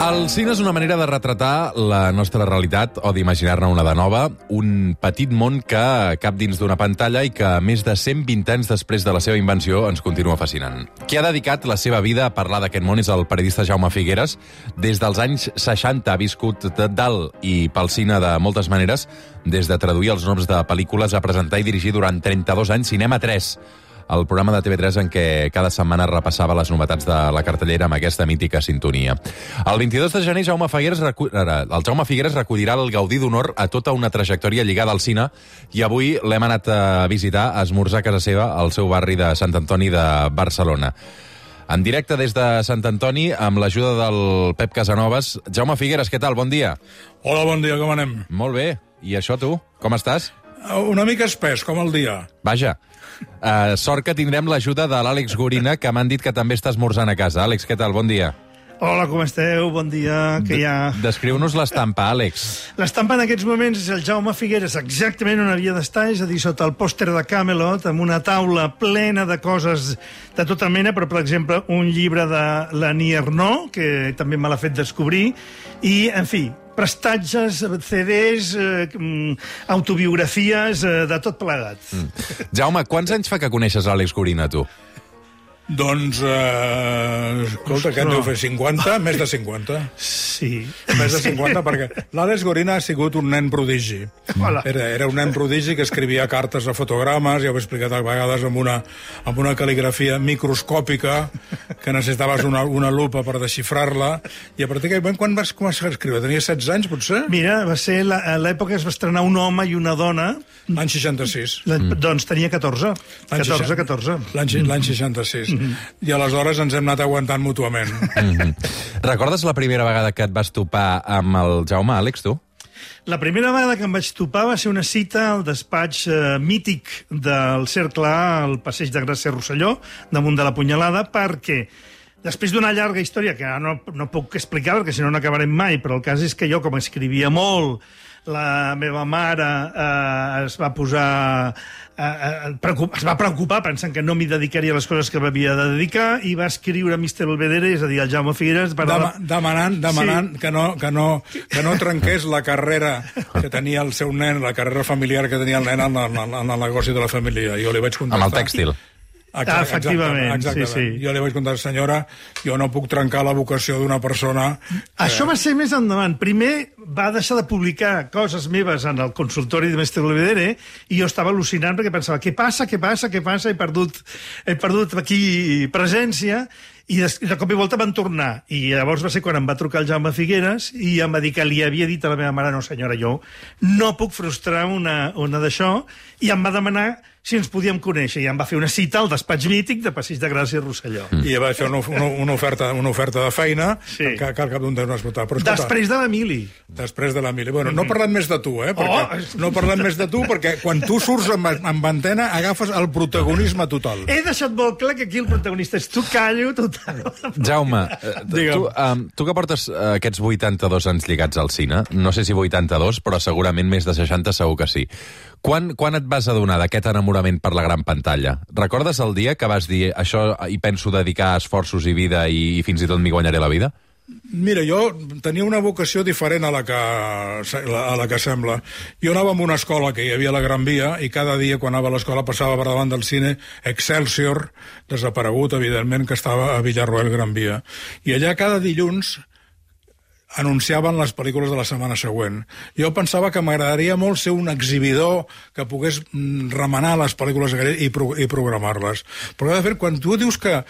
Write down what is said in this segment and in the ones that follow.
El cine és una manera de retratar la nostra realitat o d'imaginar-ne una de nova, un petit món que cap dins d'una pantalla i que més de 120 anys després de la seva invenció ens continua fascinant. Qui ha dedicat la seva vida a parlar d'aquest món és el periodista Jaume Figueres. Des dels anys 60 ha viscut dalt i pel cine de moltes maneres, des de traduir els noms de pel·lícules a presentar i dirigir durant 32 anys Cinema 3, el programa de TV3 en què cada setmana repassava les novetats de la cartellera amb aquesta mítica sintonia. El 22 de gener, el Jaume Figueres recollirà el Gaudí d'Honor a tota una trajectòria lligada al cine i avui l'hem anat a visitar, a esmorzar a casa seva, al seu barri de Sant Antoni de Barcelona. En directe des de Sant Antoni, amb l'ajuda del Pep Casanovas. Jaume Figueres, què tal? Bon dia. Hola, bon dia, com anem? Molt bé. I això, tu? Com estàs? Una mica espès, com el dia. Vaja. Sort que tindrem l'ajuda de l'Àlex Gorina, que m'han dit que també està esmorzant a casa. Àlex, què tal? Bon dia. Hola, com esteu? Bon dia. Descriu-nos l'estampa, Àlex. L'estampa en aquests moments és el Jaume Figueres exactament on havia d'estar, és a dir, sota el pòster de Camelot, amb una taula plena de coses de tota mena, però, per exemple, un llibre de l'Annie Ernaux, que també me l'ha fet descobrir, i, en fi, prestatges, CDs, autobiografies, de tot plegat. Jaume, quants anys fa que coneixes l'Àlex Gorina, tu? Doncs, escolta, què en deu fer, 50? Més de 50. Sí. Més de 50, perquè l'Àlex Gorina ha sigut un nen prodigi. Era un nen prodigi que escrivia cartes a fotogrames, ja ho he explicat a vegades, amb una cal·ligrafia microscòpica, que necessitaves una lupa per desxifrar-la, i a partir d'aquell moment, quan vas començar a escriure? Tenia 16 anys, potser? Mira, va ser l'època que es va estrenar Un home i una dona. L'any 66. Doncs tenia 14. 14. L'any 66. I aleshores ens hem anat aguantant mútuament. Recordes la primera vegada que et vas topar amb el Jaume, Àlex, tu? La primera vegada que em vaig topar va ser una cita al despatx mític del Cercle A, al passeig de Gràcia Rosselló, damunt de la Punyalada, perquè després d'una llarga història, que no puc explicar, perquè si no n'acabarem mai, però el cas és que jo, com escrivia molt, la meva mare es va preocupar pensant que no m'hi dedicaria a les coses que m'havia de dedicar i va escriure a Mr. Belvedere, és a dir, al Jaume Figueres... Demanant sí. que no trenqués la carrera que tenia el seu nen, la carrera familiar que tenia el nen en el negoci de la família. Jo li vaig contestar... Amb el tèxtil. Efectivament, sí. Jo li vaig contar, senyora, jo no puc trencar la vocació d'una persona... Això va ser més endavant. Primer va deixar de publicar coses meves en el consultori de Mestre Belvedere i jo estava al·lucinant perquè pensava, què passa? He perdut aquí presència i de cop i volta van tornar. I llavors va ser quan em va trucar el Jaume Figueres i em va dir que li havia dit a la meva mare, no senyora, jo no puc frustrar una d'això, i em va demanar si ens podíem conèixer, i em va fer una cita al despatx mític de Passeig de Gràcia i Rosselló. I va fer una oferta de feina que al cap d'un temps no es pot... Després de l'Emili. Després de l'Emili. Bueno, no parlem més de tu, no parlem més de tu, perquè quan tu surts amb antena agafes el protagonisme total. He deixat molt clar que aquí el protagonista és tu, callo total. Jaume, tu que portes aquests 82 anys lligats al cine, no sé si 82, però segurament més de 60 segur que sí. Quan et vas adonar d'aquest enamorament per la gran pantalla? Recordes el dia que vas dir això hi penso dedicar esforços i vida i fins i tot m'hi guanyaré la vida? Mira, jo tenia una vocació diferent a la que sembla. Jo anava a una escola que hi havia a la Gran Via i cada dia quan anava a l'escola passava per davant del cine Excelsior, desaparegut, evidentment, que estava a Villarroel Gran Via. I allà cada dilluns anunciaven les pel·lícules de la setmana següent. Jo pensava que m'agradaria molt ser un exhibidor que pogués remenar les pel·lícules i programar-les. Però, de fet, quan tu dius que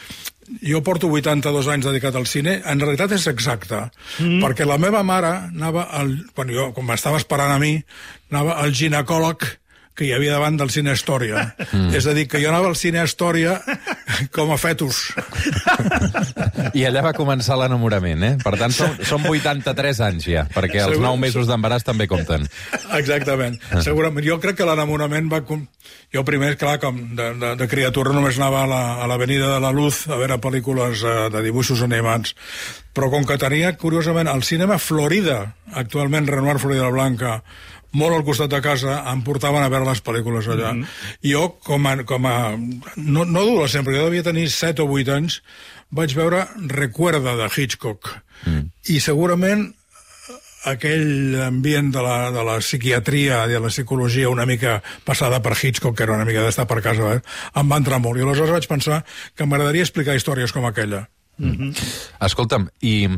jo porto 82 anys dedicat al cine, en realitat és exacte. Perquè la meva mare anava, quan m'estava esperant a mi, anava al ginecòleg que hi havia davant del Cine Astòria. És a dir, que jo anava al Cine Astòria com a fetus. I allà va començar l'enamorament, Per tant, són 83 anys ja, perquè els 9 mesos d'embaràs també compten. Exactament. Segurament. Jo crec que l'enamorament va... Jo primer, clar, com de criatura només anava a l'Avenida de la Luz a veure pel·lícules de dibuixos animats. Però com que tenia, curiosament, el cinema Florida, actualment Renoir Florida Blanca, molt al costat de casa, em portaven a veure les pel·lícules allà. Jo, com a no adolescent, però jo devia tenir 7 o 8 anys, vaig veure Recuerda, de Hitchcock. I segurament aquell ambient de la psiquiatria i de la psicologia una mica passada per Hitchcock, que era una mica d'estar per casa, em va entrar molt. I aleshores vaig pensar que m'agradaria explicar històries com aquella. Escolta'm, i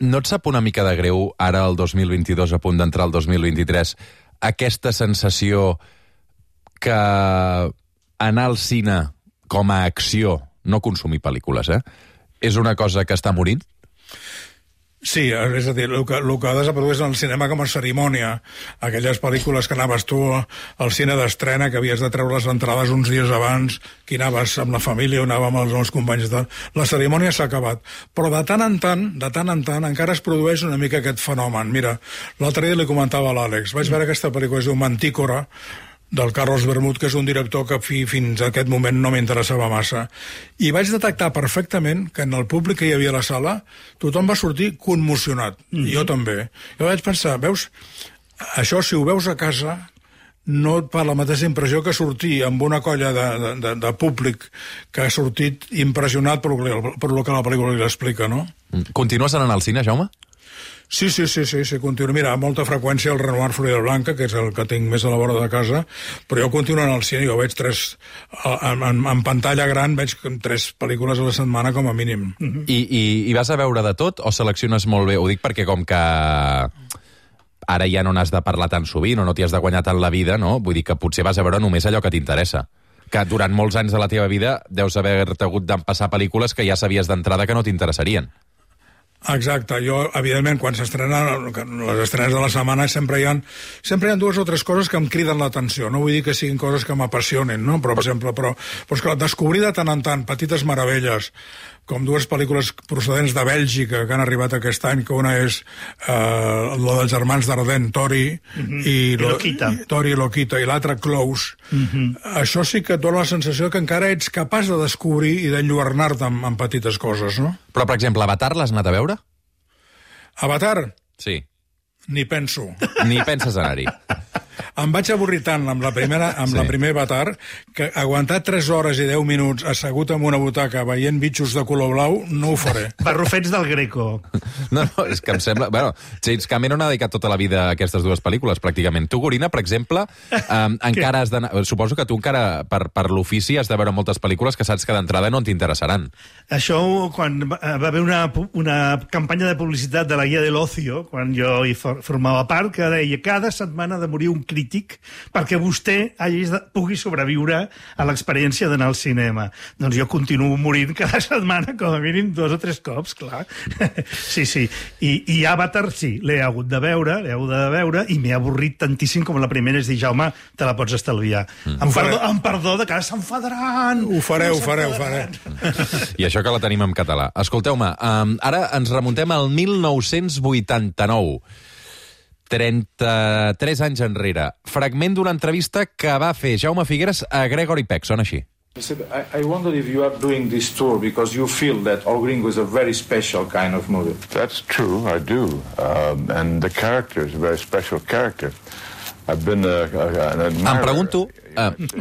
no et sap una mica de greu, ara el 2022, a punt d'entrar el 2023, aquesta sensació que anar al cine com a acció, no consumir pel·lícules, és una cosa que està morint? Sí, és a dir, el que ha desaparegut és el cinema com a cerimònia. Aquelles pel·lícules que anaves tu al cine d'estrena, que havies de treure les entrades uns dies abans, que anaves amb la família o anàvem amb els companys de... La cerimònia s'ha acabat. Però de tant en tant, encara es produeix una mica aquest fenomen. Mira, l'altre dia li comentava a l'Àlex, vaig veure aquesta pel·lícula, es diu Mantícora, del Carlos Bermud, que és un director que fins a aquest moment no m'interessava massa. I vaig detectar perfectament que en el públic que hi havia a la sala tothom va sortir commocionat. Jo també. Jo vaig pensar, veus, això si ho veus a casa no et fa la mateixa impressió que sortir amb una colla de públic que ha sortit impressionat per lo que la pel·lícula li explica, no? Continues anant al cine, Jaume? Sí, continuo. Mira, amb molta freqüència el Renoir Florida Blanca, que és el que tinc més a la vora de casa, però jo continuo anant al cine, jo veig en pantalla gran veig 3 pel·lícules a la setmana com a mínim. I vas a veure de tot o selecciones molt bé? Ho dic perquè com que ara ja no n'has de parlar tan sovint o no t'hi has de guanyar tant la vida, no? Vull dir que potser vas a veure només allò que t'interessa. Que durant molts anys de la teva vida deus haver-te hagut d'empassar pel·lícules que ja sabies d'entrada que no t'interessarien. Exacte, jo, evidentment, quan s'estrenen les estrenes de la setmana sempre hi ha 2 o 3 coses que em criden l'atenció. No vull dir que siguin coses que m'apassionin, no? Però, per exemple, esclar, descobrir de tant en tant petites meravelles, com 2 pel·lícules procedents de Bèlgica que han arribat aquest any, que una és la dels germans Dardenne, Tori i Lokita, i l'altra Close. Això sí que et dona la sensació que encara ets capaç de descobrir i d'enlluernar-te en petites coses, no? Però, per exemple, Avatar l'has anat a veure? Avatar? Sí. Ni penso. Ni penses anar-hi. Em vaig avorrir tant amb la primera Avatar que aguantar 3 hores i 10 minuts assegut en una butaca veient bitxos de color blau no ho faré. Barrufets del Greco. No, és que em sembla... Bueno, James Cameron ha dedicat tota la vida a aquestes 2 pel·lícules, pràcticament. Tu, Gorina, per exemple, encara has d'anar... Suposo que tu encara, per l'ofici, has de veure moltes pel·lícules que saps que d'entrada no t'interessaran. Això, quan va haver una campanya de publicitat de la Guia de l'Ocio, quan jo hi formava part, que deia cada setmana ha de morir un crític perquè vostè pugui sobreviure a l'experiència d'anar al cinema. Doncs jo continuo morint cada setmana, com a mínim 2 o 3 cops, clar. Sí. I Avatar, sí, l'he hagut de veure i m'he avorrit tantíssim com la primera, és dir, Jaume, te la pots estalviar. Amb perdó de que s'enfadaran. Ho faré. I això que la tenim en català. Escolteu-me, ara ens remuntem al 1989. 33 anys enrere. Fragment d'una entrevista que va fer Jaume Figueras a Gregory Peck. Sona així. I wonder if you are doing this tour because you feel that El Gringo is a very special kind of movie. That's true, I do. And the character is a very special character. I've been an admirer. Em pregunto,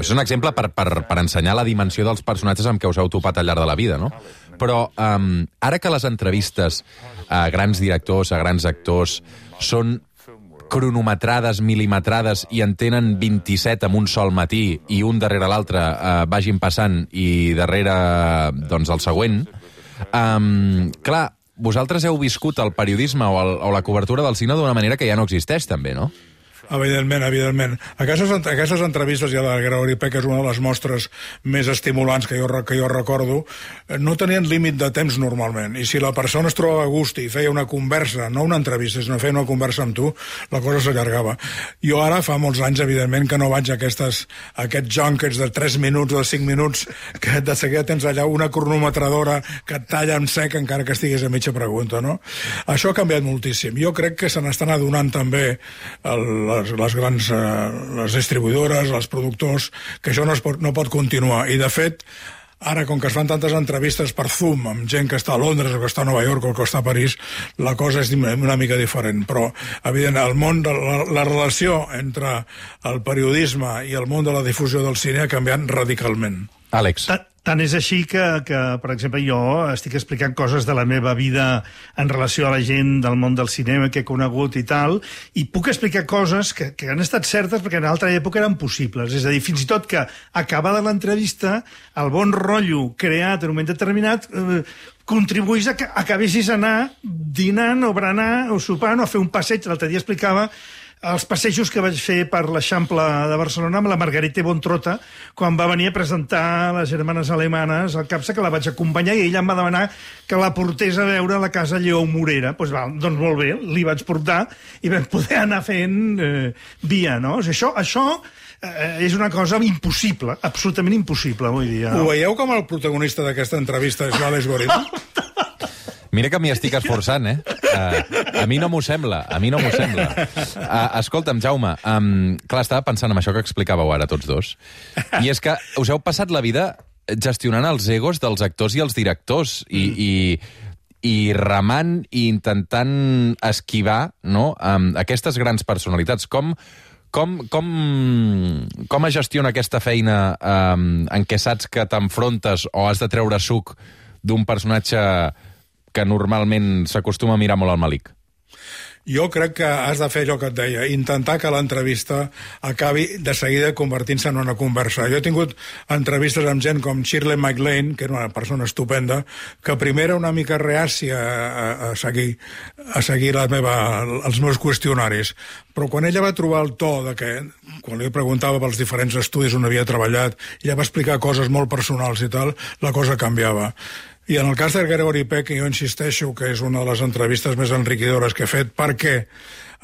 és un exemple per ensenyar la dimensió dels personatges amb què us heu topat al llarg de la vida, no? Però ara que les entrevistes a grans directors, a grans actors, són cronometrades, milimetrades, i en tenen 27 en un sol matí i un darrere l'altre vagin passant i darrere doncs, el següent, clar, vosaltres heu viscut el periodisme o la cobertura del cine d'una manera que ja no existeix, també, no? Evidentment. Aquestes entrevistes, ja de Gregory Peck és una de les mostres més estimulants que jo recordo, no tenien límit de temps normalment, i si la persona es trobava a gust i feia una conversa, no una entrevista, sinó feia una conversa amb tu, la cosa s'allargava. Jo ara fa molts anys, evidentment, que no vaig a aquests junkets de 3 minuts o de 5 minuts, que de seguida tens allà una cronometradora que et talla en sec encara que estiguis a mitja pregunta, no? Això ha canviat moltíssim. Jo crec que se n'estan adonant també les distribuïdores, els productors, que això no pot continuar. I, de fet, ara, com que es fan tantes entrevistes per Zoom amb gent que està a Londres o que està a Nova York o que està a París, la cosa és una mica diferent. Però, evidentment, el món la relació entre el periodisme i el món de la difusió del cine ha canviat radicalment. Àlex. Tant és així que, per exemple, jo estic explicant coses de la meva vida en relació a la gent del món del cinema que he conegut i tal, i puc explicar coses que han estat certes perquè en altra època eren possibles. És a dir, fins i tot que, acabada l'entrevista, el bon rotllo creat en un moment determinat contribuís a que acabessis anar dinant o berenar o sopant o a fer un passeig. L'altre dia explicava els passejos que vaig fer per l'Eixample de Barcelona amb la Margarita Bontrota quan va venir a presentar les germanes alemanes al CAPSA, que la vaig acompanyar, i ella em va demanar que la portés a veure la casa Lleó Morera. Doncs molt bé, li vaig portar i vam poder anar fent via, no? O sigui, això és una cosa impossible, absolutament impossible avui dia. Ho veieu com el protagonista d'aquesta entrevista és l'Àlex Gorina? Mira que m'hi estic esforçant, eh? A mi no m'ho sembla, escolta'm, Jaume, clar, estava pensant en això que explicàveu ara tots dos, i és que us heu passat la vida gestionant els egos dels actors i els directors, i remant i intentant esquivar, no?, aquestes grans personalitats. Com es gestiona aquesta feina en què saps que t'enfrontes o has de treure suc d'un personatge que normalment s'acostuma a mirar molt al malic? Jo crec que has de fer allò que et deia, intentar que l'entrevista acabi de seguida convertint-se en una conversa. Jo he tingut entrevistes amb gent com Shirley MacLaine, que era una persona estupenda, que primer era una mica reàcia a seguir els meus qüestionaris, però quan ella va trobar el to de que, quan li preguntava pels diferents estudis on havia treballat, ella va explicar coses molt personals i tal, la cosa canviava. I en el cas de Gregory Peck, jo insisteixo que és una de les entrevistes més enriquidores que he fet, perquè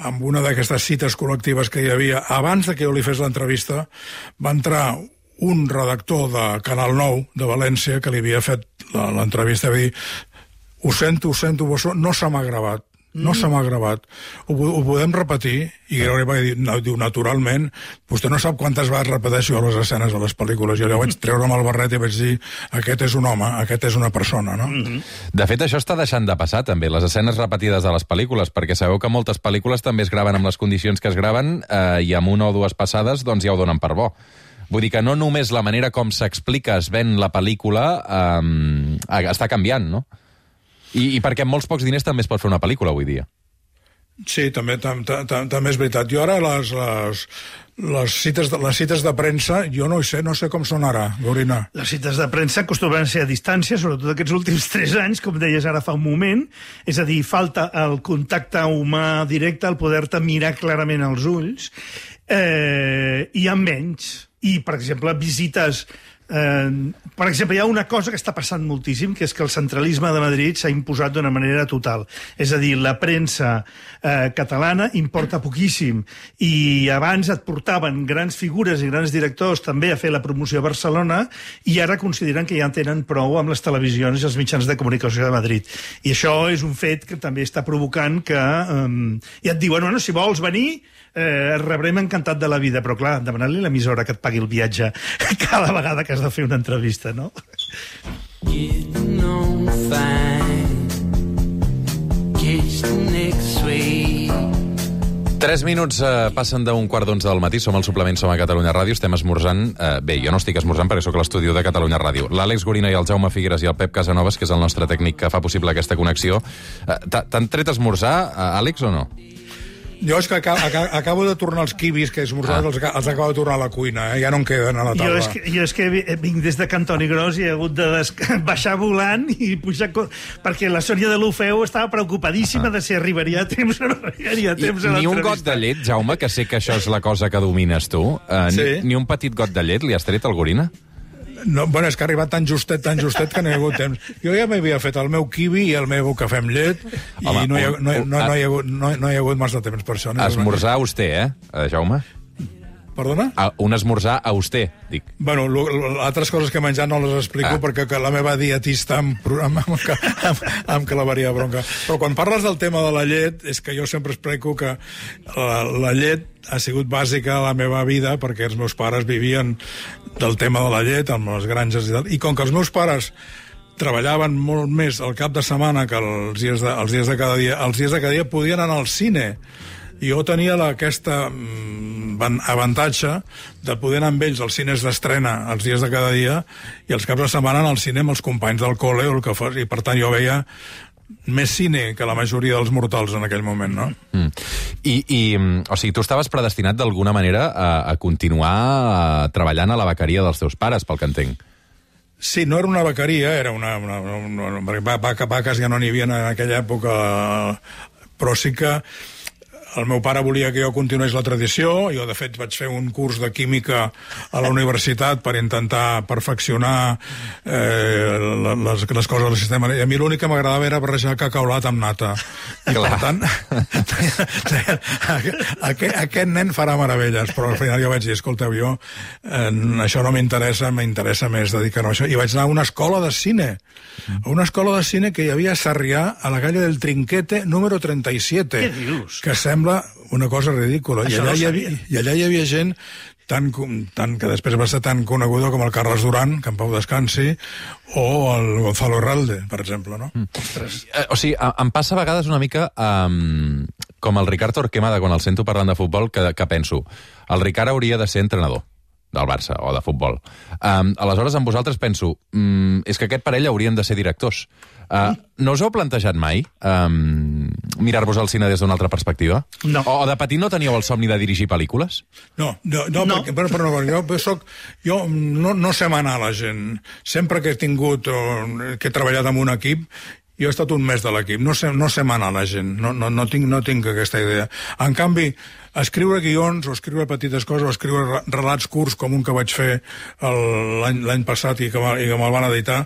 amb una d'aquestes cites col·lectives que hi havia, abans de que jo li fes l'entrevista, va entrar un redactor de Canal 9 de València que li havia fet l'entrevista i va dir: ho sento, no se m'ha gravat. No se m'ha gravat. Ho podem repetir? I Gregory va dir, naturalment, vostè no sap quantes vegades repeteixo les escenes de les pel·lícules. Jo vaig treure'm el barret i vaig dir, aquest és un home, aquest és una persona, no? De fet, això està deixant de passar, també, les escenes repetides de les pel·lícules, perquè sabeu que moltes pel·lícules també es graven amb les condicions que es graven i amb una o dues passades doncs ja ho donen per bo. Vull dir que no només la manera com s'explica, es ven la pel·lícula, està canviant, no? I perquè amb molts pocs diners també es pot fer una pel·lícula avui dia. Sí, també és veritat. Jo ara les cites de premsa, jo no sé com són ara, Gorina. Les cites de premsa acostumen a ser a distància, sobretot aquests últims 3 anys, com deies ara fa un moment. És a dir, falta el contacte humà directe, el poder-te mirar clarament als ulls, i amb menys. I, per exemple, visites... per exemple, hi ha una cosa que està passant moltíssim, que és que el centralisme de Madrid s'ha imposat d'una manera total. És a dir, la premsa catalana importa poquíssim, i abans et portaven grans figures i grans directors també a fer la promoció a Barcelona, i ara consideren que ja en tenen prou amb les televisions i els mitjans de comunicació de Madrid. I això és un fet que també està provocant que ja et diuen, bueno, si vols venir, et rebrem encantat de la vida, però clar, demanar-li a l'emissora que et pagui el viatge cada vegada que has de fer una entrevista, no? 3 minuts passen d'un 11:15 del matí, som al suplement, som a Catalunya Ràdio, estem esmorzant. Bé, jo no estic esmorzant perquè sóc a l'estudi de Catalunya Ràdio. L'Àlex Gorina i el Jaume Figueras i el Pep Casanovas, que és el nostre tècnic que fa possible aquesta connexió. T'han tret esmorzar, Àlex, o no? Jo és que acabo de tornar els quibis que he esmorzat, els acabo de tornar a la cuina, ja no em queden a la taula. Jo és que vinc des de Cantoni Gros i he hagut de baixar volant i pujar... Perquè la Sònia de l'Ofeu estava preocupadíssima de si arribaria a temps o no arribaria a temps a l'entrevista. Ni un got de llet, Jaume, que sé que això és la cosa que domines tu, ni un petit got de llet li has tret al Gorina? No, bueno, és que ha arribat tan justet que no hi ha hagut temps. Jo ja m'havia fet el meu kiwi i el meu cafè amb llet i no hi ha hagut massa temps per això. Esmorzar auster, Jaume? Perdona? Un esmorzar auster, dic. Bueno, altres coses que he menjat no les explico perquè la meva dietista em clavaria bronca. Però quan parles del tema de la llet, és que jo sempre explico que la llet ha sigut bàsica a la meva vida perquè els meus pares vivien del tema de la llet, amb les granges i tal. I com que els meus pares treballaven molt més al cap de setmana que els dies de cada dia, els dies de cada dia podien anar al cine I jo tenia aquesta avantatge de poder anar amb ells als cines d'estrena els dies de cada dia i els caps de setmana anar al cine amb els companys del col·le o el que fos, i per tant jo veia més cine que la majoria dels mortals en aquell moment, no? O sigui, tu estaves predestinat d'alguna manera a continuar treballant a la bequeria dels teus pares, pel que entenc. Sí, no era una bequeria, era una vaques ja no n'hi havia en aquella època, però sí que el meu pare volia que jo continués la tradició. Jo, de fet, vaig fer un curs de química a la universitat per intentar perfeccionar les coses del sistema. I a mi l'únic que m'agradava era barrejar cacaulat amb nata. I, per tant, aquest nen farà meravelles. Però al final jo vaig dir, escolteu, jo això no m'interessa, m'interessa més dedicar-me a això. I vaig anar a una escola de cine. A una escola de cine que hi havia a Sarrià, a la calle del Trinquete, número 37. Què dius? Que sembla una cosa ridícula. I allà hi havia gent tan que després va ser tan coneguda com el Carles Duran, que en pau descansi, o el Gonzalo Herralde, per exemple, no? O sigui, em passa a vegades una mica com el Ricard Torquemada, quan el sento parlant de futbol, que penso, el Ricard hauria de ser entrenador del Barça o de futbol. Aleshores, amb vosaltres penso, és que aquest parell haurien de ser directors. No us heu plantejat mai mirar-vos al cine des d'una altra perspectiva? No. O de petit no teníeu el somni de dirigir pel·lícules? No. Jo no sé manar la gent. Sempre que he tingut que he treballat amb un equip, jo he estat un mes de l'equip. No sé manar la gent. No tinc aquesta idea. En canvi, escriure guions o escriure petites coses o escriure relats curts com un que vaig fer l'any passat i que me'l van editar,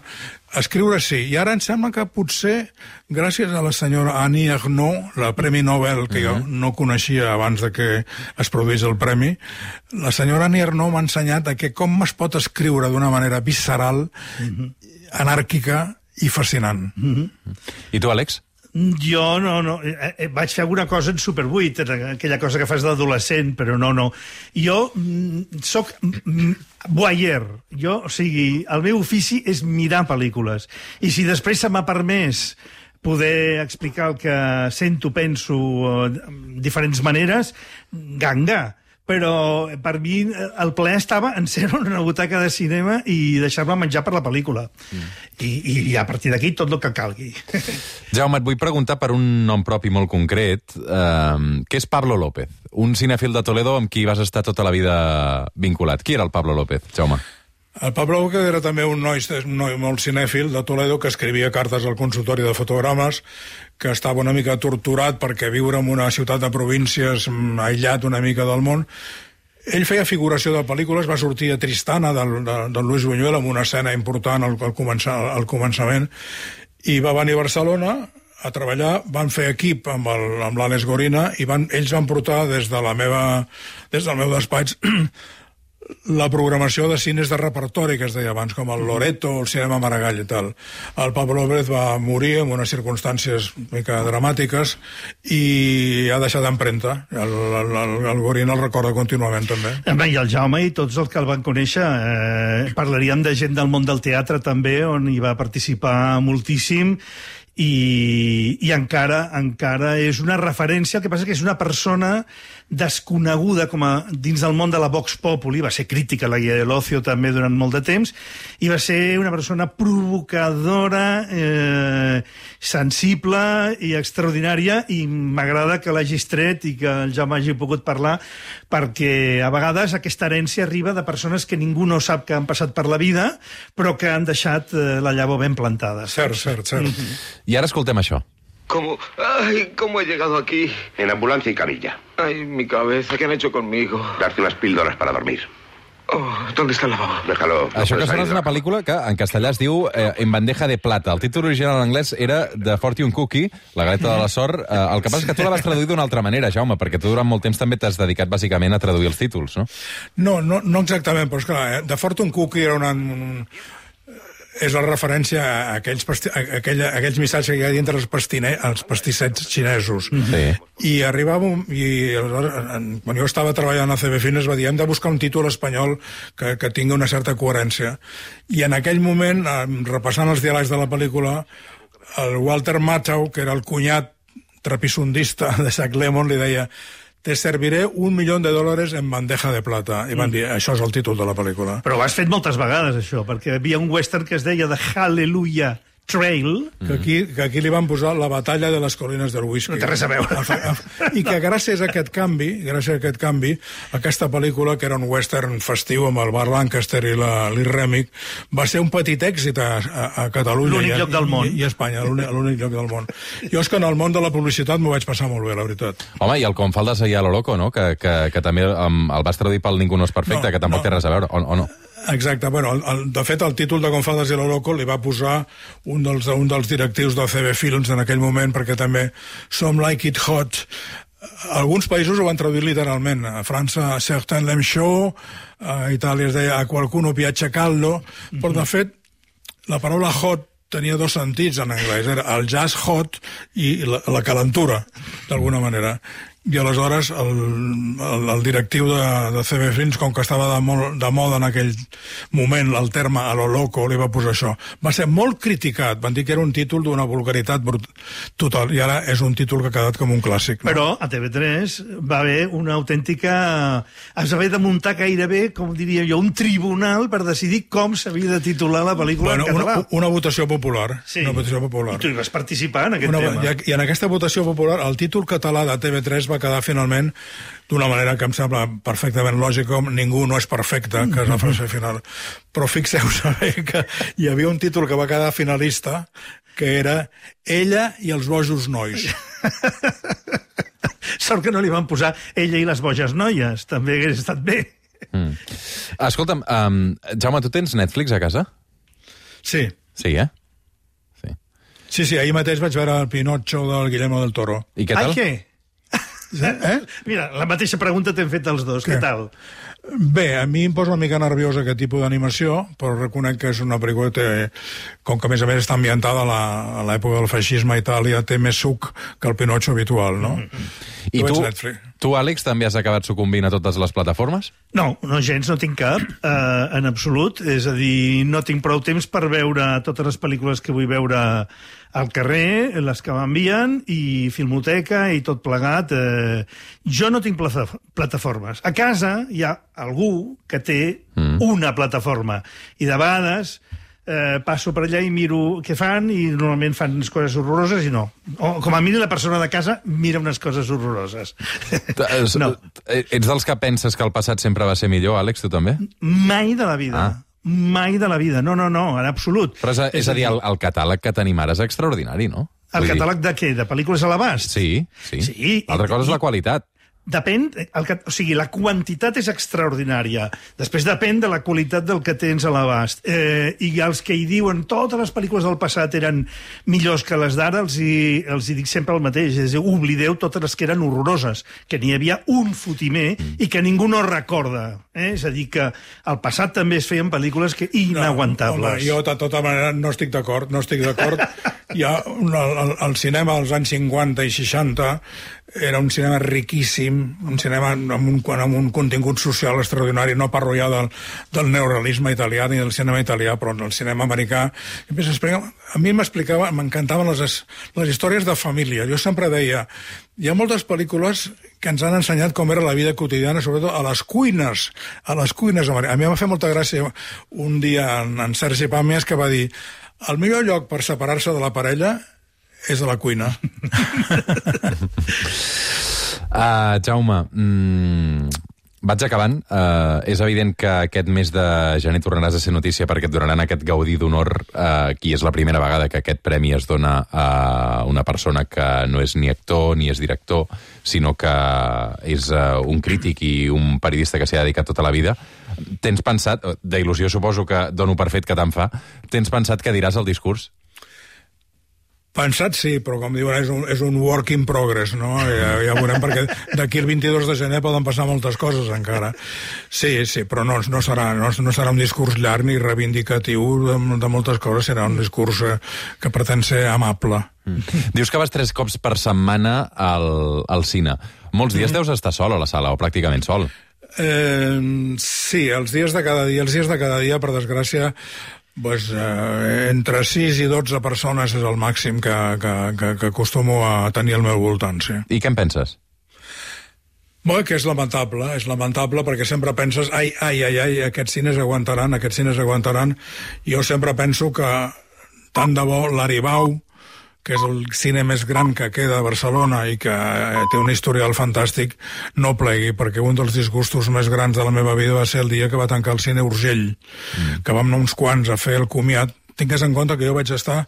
escriure sí. I ara em sembla que potser, gràcies a la senyora Annie Ernaux, la Premi Nobel, que jo no coneixia abans de que es produís el premi, la senyora Annie Ernaux m'ha ensenyat que com es pot escriure d'una manera visceral, anàrquica i fascinant. I tu, Àlex? Jo no. Vaig fer alguna cosa en Super 8, aquella cosa que fas d'adolescent, però no. Jo soc voyeur. O sigui, el meu ofici és mirar pel·lícules. I si després se m'ha permès poder explicar el que sento, penso, de diferents maneres, ganga. Però per mi el plaer estava en ser en una butaca de cinema i deixar-me menjar per la pel·lícula. I a partir d'aquí tot el que calgui. Jaume, et vull preguntar per un nom propi molt concret, que és Pablo López, un cinèfil de Toledo amb qui vas estar tota la vida vinculat. Qui era el Pablo López, Jaume? El Pablo López era també un noi molt cinèfil de Toledo que escrivia cartes al consultori de fotogrames, que estava una mica torturat perquè viure en una ciutat de províncies aïllat una mica del món. Ell feia figuració de pel·lícules, va sortir a Tristana del Luis Buñuel amb una escena important al començament, i va venir a Barcelona a treballar, van fer equip amb l'Àlex Gorina i ells van portar des del meu despatx la programació de cines de repertori que es deia abans, com el Loreto o el Cinema Maragall i tal. El Pablo López va morir en unes circumstàncies una mica dramàtiques i ha deixat d'empremta. El Gorina el recorda contínuament, també. I el Jaume i tots els que el van conèixer parlaríem de gent del món del teatre també, on hi va participar moltíssim, i encara és una referència. El que passa que és una persona desconeguda dins del món de la Vox Populi, va ser crítica a la Guia de l'Ocio també durant molt de temps, i va ser una persona provocadora, sensible i extraordinària, i m'agrada que l'hagis tret i que el Jaume hagi pogut parlar, perquè a vegades aquesta herència arriba de persones que ningú no sap que han passat per la vida, però que han deixat la llavor ben plantada. Cert. I ara escoltem això. ¿Cómo he llegado aquí? En ambulancia y camilla. Ay, mi cabeza, ¿qué han hecho conmigo? Darte unas píldoras para dormir. ¿Dónde está el lavabo? Déjalo. Això que sona és una pel·lícula que en castellà es diu En bandeja de plata. El títol original en anglès era The Fortune Cookie, la galeta de la sort. El que passa és que tu la vas traduir d'una altra manera, Jaume, perquè tu durant molt temps també t'has dedicat bàsicament a traduir els títols, no? No exactament, però és clar, The Fortune Cookie era és la referència a aquells missatges que hi ha dintre els pastissets xinesos. Sí. I arribàvem, quan jo estava treballant a CB Fines, va dir, hem de buscar un títol espanyol que tingui una certa coherència. I en aquell moment, repassant els diàlegs de la pel·lícula, el Walter Matthau, que era el cunyat trapissundista de Jack Lemmon li deia: te serviré $1 millió en bandeja de plata. I van dir, això és el títol de la pel·lícula. Però ho has fet moltes vegades, això, perquè hi havia un western que es deia The Hallelujah Trail. Que aquí li van posar la batalla de les colines del whisky. No té res a veure. I que gràcies a aquest canvi, aquesta pel·lícula, que era un western festiu amb el Burt Lancaster i l'Lee Remick, va ser un petit èxit a Catalunya. L'únic lloc del món. I a Espanya, l'únic lloc del món. Jo és que en el món de la publicitat m'ho vaig passar molt bé, la veritat. Home, i el Com faldes ahir a lo loco, no? Que també el vas traduir pel Ningú no és perfecte, que tampoc té res a veure, o no? Exacte, bueno, de fet el títol de Com faldes i lo loco li va posar un dels directius del CB Films en aquell moment, perquè també Some Like It Hot. Alguns països ho van traduir literalment. A França, Certain Lem Show, a Itàlia es deia A qualcuno piace caldo, però de fet la paraula hot tenia dos sentits en anglès, era el jazz hot i la calentura, d'alguna manera. I aleshores el directiu de CB Films, com que estava de moda en aquell moment el terme a lo loco, li va posar això. Va ser molt criticat, van dir que era un títol d'una vulgaritat total, i ara és un títol que ha quedat com un clàssic. No? Però a TV3 va haver una autèntica... Es va haver de muntar gairebé, com diria jo, un tribunal per decidir com s'havia de titular la pel·lícula en català. Una votació popular. Sí. Una votació popular. I tu hi vas participar en aquest tema. I en aquesta votació popular, el títol català de TV3 va quedar finalment d'una manera que em sembla perfectament lògica, com Ningú no és perfecte, que és la frase final. Però fixeu-vos que hi havia un títol que va quedar finalista, que era Ella i els bojos nois. Sort que no li van posar Ella i les boges noies, també hagués estat bé. Escolta'm, Jaume, tu tens Netflix a casa? Sí. Sí, eh? Sí, ahir mateix vaig veure el Pinocho del Guillermo del Toro. I què tal? Ai, què? Mira, la mateixa pregunta t'hem fet els dos. Què tal? Bé, a mi em posa una mica nerviós aquest tipus d'animació, però reconec que és una pel·lícula que, com que a més està ambientada a l'època del feixisme a Itàlia, té més suc que el Pinocho habitual, no? I tu, Àlex, també has acabat sucumbint a totes les plataformes? No, gens, no tinc cap, en absolut. És a dir, no tinc prou temps per veure totes les pel·lícules que vull veure al carrer, les que m'envien, i Filmoteca, i tot plegat. Jo no tinc plataformes. A casa hi ha algú que té una plataforma, i de vegades passo per allà i miro què fan, i normalment fan unes coses horroroses i no. O, com a mínim, la persona de casa mira unes coses horroroses. No. Ets dels que penses que el passat sempre va ser millor, Àlex, tu també? Mai de la vida. Mai de la vida. No, en absolut. Però és a dir, el catàleg que tenim ara és extraordinari, no? El catàleg de què? De pel·lícules a l'abast? Sí. Altra cosa és la qualitat. Depèn, o sigui, la quantitat és extraordinària. Després depèn de la qualitat del que tens a l'abast. I els que hi diuen totes les pel·lícules del passat eren millors que les d'ara, els hi dic sempre el mateix. És a dir, oblideu totes les que eren horroroses, que n'hi havia un fotimer i que ningú no recorda. És a dir, que al passat també es feien pel·lícules inaguantables. Home, jo, de tota manera, no estic d'acord. Ja el cinema als anys 50 i 60 era un cinema riquíssim, un cinema amb un contingut social extraordinari. No parlo ja del neorealisme italià ni del cinema italià, però el cinema americà. A mi m'encantaven les històries de família. Jo sempre deia, hi ha moltes pel·lícules que ens han ensenyat com era la vida quotidiana, sobretot a les cuines americanes. A mi em va fer molta gràcia un dia en Sergi Pàmies, que va dir: el millor lloc per separar-se de la parella és a la cuina. Jaume, vaig acabant. És evident que aquest mes de gener tornaràs a ser notícia perquè et donaran aquest gaudí d'honor, qui és la primera vegada que aquest premi es dona a una persona que no és ni actor ni és director, sinó que és un crític i un periodista que s'hi ha dedicat tota la vida. Tens pensat, d'il·lusió suposo que dono per fet que te'n fa, tens pensat que diràs el discurs? Pensat sí, però com diuen és un work in progress, no? Ja veurem, perquè d'aquí el 22 de gener poden passar moltes coses encara. Sí, però no serà un discurs llarg ni reivindicatiu de moltes coses, serà un discurs que pretén ser amable. Dius que vas 3 cops per setmana al cine. Molts dies deus estar sol a la sala, o pràcticament sol. Sí, els dies de cada dia, per desgràcia, Pues, entre 6 i 12 persones és el màxim que acostumo a tenir al meu voltant, sí. I què en penses? Bé, que és lamentable perquè sempre penses, ai, aquests cines aguantaran. Jo sempre penso que tant de bo l'Aribau, que és el cine més gran que queda a Barcelona i que té un historial fantàstic, no plegui, perquè un dels disgustos més grans de la meva vida va ser el dia que va tancar el cine Urgell, que vam anar uns quants a fer el comiat. Tingués en compte que jo vaig estar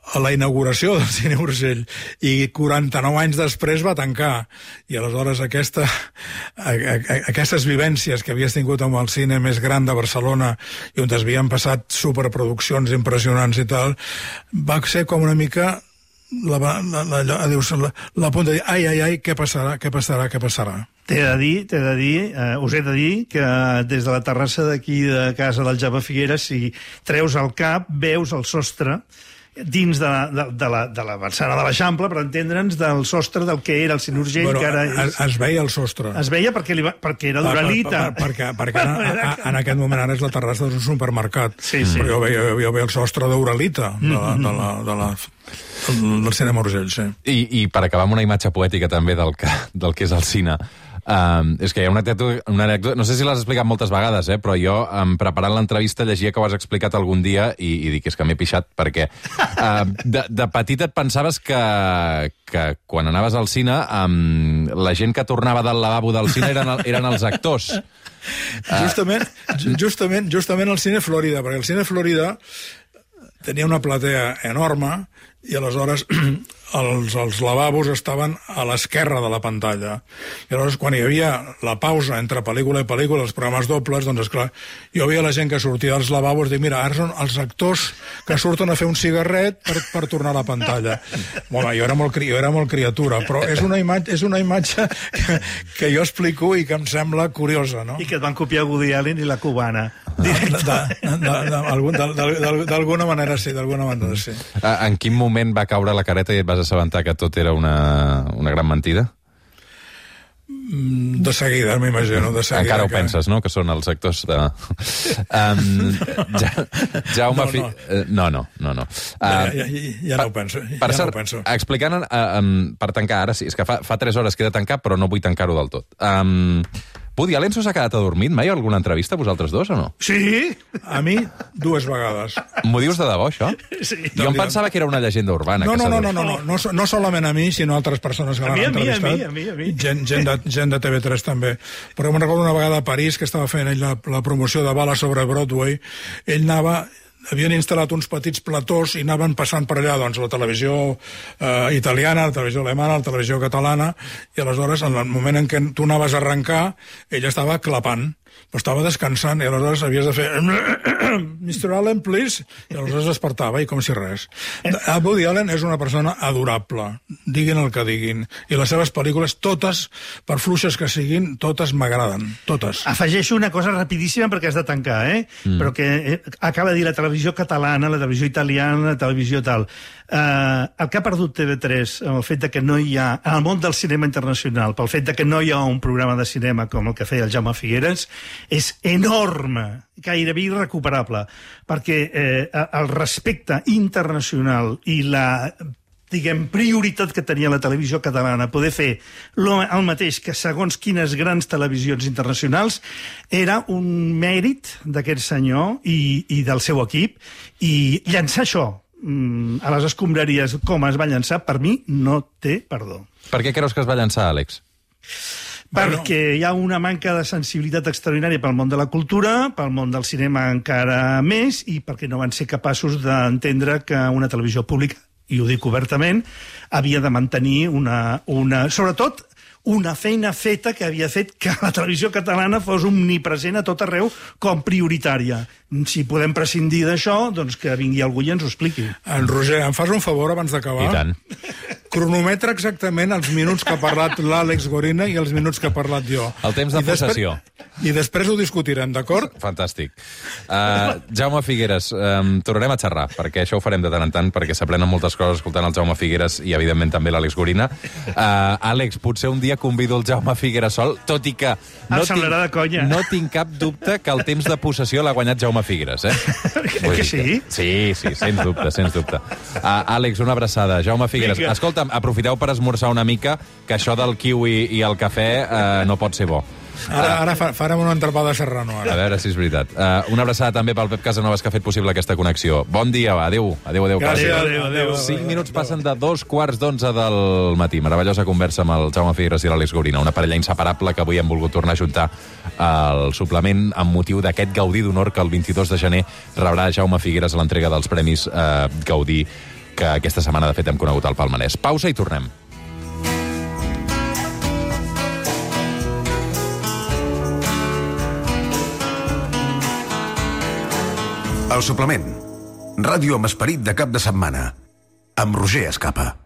a la inauguració del cine Urgell i 49 anys després va tancar, i aleshores aquestes vivències que havies tingut amb el cine més gran de Barcelona i on es havien passat superproduccions impressionants i tal, va ser com una mica la punt de dir, ai, què passarà? T'he de dir, us he de dir que des de la terrassa d'aquí de casa del Jaume Figueres, si treus el cap, veus el sostre dins de la vessana de l'Eixample, per entendre'ns, del sostre del que era el cine Urgell, que ara és... Es veia el sostre. Es veia perquè era d'Uralita. Perquè en aquest moment ara és la terrassa d'un supermercat. Sí. Però jo veia el sostre d'Uralita, del cinema Urgell, sí. I per acabar amb una imatge poètica també del que és el cine, és que hi ha una anècdota, no sé si l'has explicat moltes vegades, però jo, preparant l'entrevista, llegia que ho has explicat algun dia i dic, és que m'he pixat, perquè de petit et pensaves que quan anaves al cine la gent que tornava del lavabo del cine eren els actors. Justament el cine Florida, perquè el cine Florida tenia una platea enorme i aleshores els lavabos estaven a l'esquerra de la pantalla. I aleshores, quan hi havia la pausa entre pel·lícula i pel·lícula, els programes dobles, doncs, esclar, jo veia la gent que sortia dels lavabos i dic, mira, ara són els actors que surten a fer un cigarret per tornar a la pantalla. Bueno, jo era molt criatura, però és una imatge que jo explico i que em sembla curiosa, no? I que et van copiar Woody Allen i la cubana. D'alguna manera sí, En quin moment va caure la careta i et vas assabentar que tot era una gran mentida? De seguida, m'imagino. Encara ho penses, no?, que són els actors de... Jaume... No. Ja no ho penso. Per cert, explicant, per tancar ara, sí, és que fa 3 hores que he de tancar, però no vull tancar-ho del tot. Woody Allen s'ha quedat adormit? Mai alguna entrevista, vosaltres dos, o no? Sí, a mi 2 vegades. M'ho dius de debò, això? Sí. Jo em pensava que era una llegenda urbana. No solament a mi, sinó a altres persones que l'han entrevistat. A mi. Gent de TV3 també. Però me'n recordo una vegada a París, que estava fent ell la promoció de Bala sobre Broadway, ell havien instal·lat uns petits platós i anaven passant per allà, doncs, la televisió italiana, la televisió alemana, la televisió catalana, i aleshores, en el moment en què tu anaves a arrencar, ell estava clapant, però estava descansant, i aleshores havies de fer Mr. Allen, please, i aleshores despertava, i com si res. Woody Allen és una persona adorable, diguin el que diguin, i les seves pel·lícules, totes, per fluixes que siguin, totes m'agraden, totes. Afegeixo una cosa rapidíssima perquè has de tancar, però que acaba de dir la televisió catalana, la televisió italiana, la televisió tal. El que ha perdut TV3 amb el fet de que no hi ha, en el món del cinema internacional, pel fet de que no hi ha un programa de cinema com el que feia el Jaume Figueres, és enorme, gairebé irrecuperable, perquè el respecte internacional i la, diguem, prioritat que tenia la televisió catalana poder fer el mateix que segons quines grans televisions internacionals era un mèrit d'aquest senyor i del seu equip, i llançar això a les escombraries com es va llançar, per mi no té perdó. Per què creus que es va llançar, Àlex? Perquè hi ha una manca de sensibilitat extraordinària pel món de la cultura, pel món del cinema encara més, i perquè no van ser capaços d'entendre que una televisió pública, i ho dic obertament, havia de mantenir sobretot una feina feta que havia fet que la televisió catalana fos omnipresent a tot arreu com prioritària. Si podem prescindir d'això, doncs que vingui algú i ens ho expliqui. En Roger, em fas un favor abans d'acabar? I tant. Cronometra exactament els minuts que ha parlat l'Àlex Gorina i els minuts que ha parlat jo. El temps de possessió. I després ho discutirem, d'acord? Fantàstic. Jaume Figueres, tornarem a xerrar, perquè això ho farem de tant en tant, perquè s'aprenen moltes coses escoltant el Jaume Figueres i, evidentment, també l'Àlex Gorina. Àlex, potser un dia convido el Jaume Figueres sol, tot i que no tinc cap dubte que el temps de possessió l'ha guanyat Jaume Jaume Figueres, eh? Que sí? Sí, sens dubte. Àlex, una abraçada. Jaume Figueres, escolta'm, aprofiteu per esmorzar una mica, que això del kiwi i el cafè no pot ser bo. Ara farem una entrepada serrano. A veure si és veritat. Una abraçada també pel Pep Casanovas, que ha fet possible aquesta connexió. Bon dia, va. Adéu. Gràcies. Adéu. 5 minuts passen de 2:15 del matí. Meravellosa conversa amb el Jaume Figueres i l'Àlex Gorina, una parella inseparable que avui hem volgut tornar a juntar al suplement amb motiu d'aquest Gaudí d'Honor que el 22 de gener rebrà Jaume Figueres a l'entrega dels Premis Gaudí, que aquesta setmana, de fet, hem conegut al palmarès. Pausa i tornem. El suplement. Ràdio amb esperit de cap de setmana. Amb Roger Escapa.